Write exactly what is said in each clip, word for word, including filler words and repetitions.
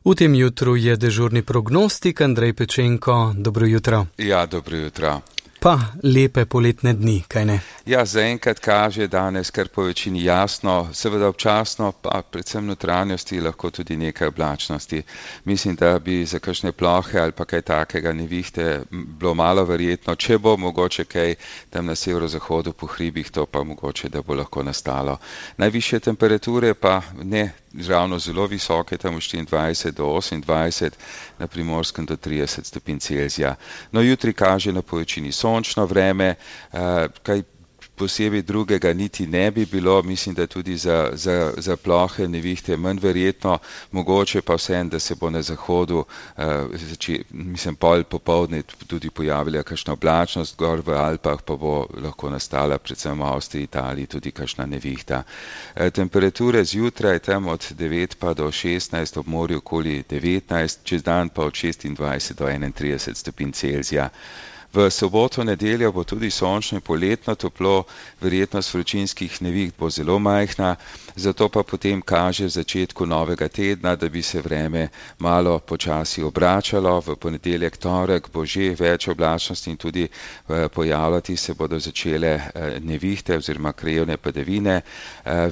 V tem jutru je dežurni prognostik Andrej Pečenko. Dobro jutro. Ja, dobro jutro. Pa lepe poletne dni, kaj ne? Ja, zaenkrat kaže danes kar po večini jasno, seveda občasno, pa predvsem notranjosti, lahko tudi nekaj oblačnosti. Mislim, da bi za kakšne plohe ali pa kaj takega nevihte bilo malo verjetno, če bo mogoče kaj tam na severozahodu po hribih, to pa mogoče, da bo lahko nastalo. Najvišje temperature pa ne ravno zelo visoke, tam v štiriindvajset do osemindvajset, na Primorskem do trideset stopinj Celzija. No, jutri kaže na povečini sončno vreme, kaj posebej drugega niti ne bi bilo, mislim, da tudi za, za, za plohe nevihte manj verjetno, mogoče pa vsem, da se bo na zahodu, zači, mislim, pol popoldne tudi pojavila kakšna oblačnost, gor v Alpah pa bo lahko nastala, predvsem v Avstriji, Italiji, tudi kakšna nevihta. Temperature zjutraj tam od devet pa do šestnajst, ob morju okoli devetnajst, čez dan pa od šestindvajset do enaintrideset stopinj Celzija. V soboto, nedeljo bo tudi sončno in poletno toplo, verjetnost vročinskih neviht bo zelo majhna, zato pa potem kaže v začetku novega tedna, da bi se vreme malo počasi obračalo. V ponedeljek, torek bo že več oblačnosti in tudi pojavljati se bodo začele nevihte oziroma krajevne padavine.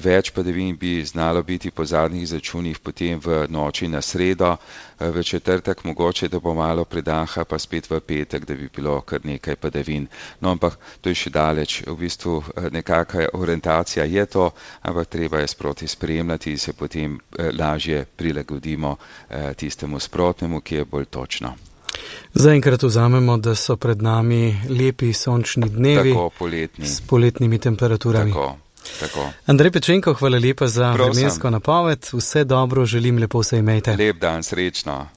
Več padavin bi znalo biti po zadnjih izračunih potem v noči na sredo, v četrtek mogoče, da bo malo predaha, pa spet v petek, da bi bilo kar nekaj padavin. No, ampak to je še daleč. V bistvu nekakva orientacija je to, ampak treba je sproti spremljati in se potem lažje prilagodimo tistemu sprotnemu, ki je bolj točno. Zaenkrat vzamemo, da so pred nami lepi sončni dnevi. Tako, poletni. S poletnimi temperaturami. Tako. Tako. Andrej Pečenko, hvala lepa za vremensko napoved. Vse dobro, želim, lepo se imejte. Lep dan, srečno.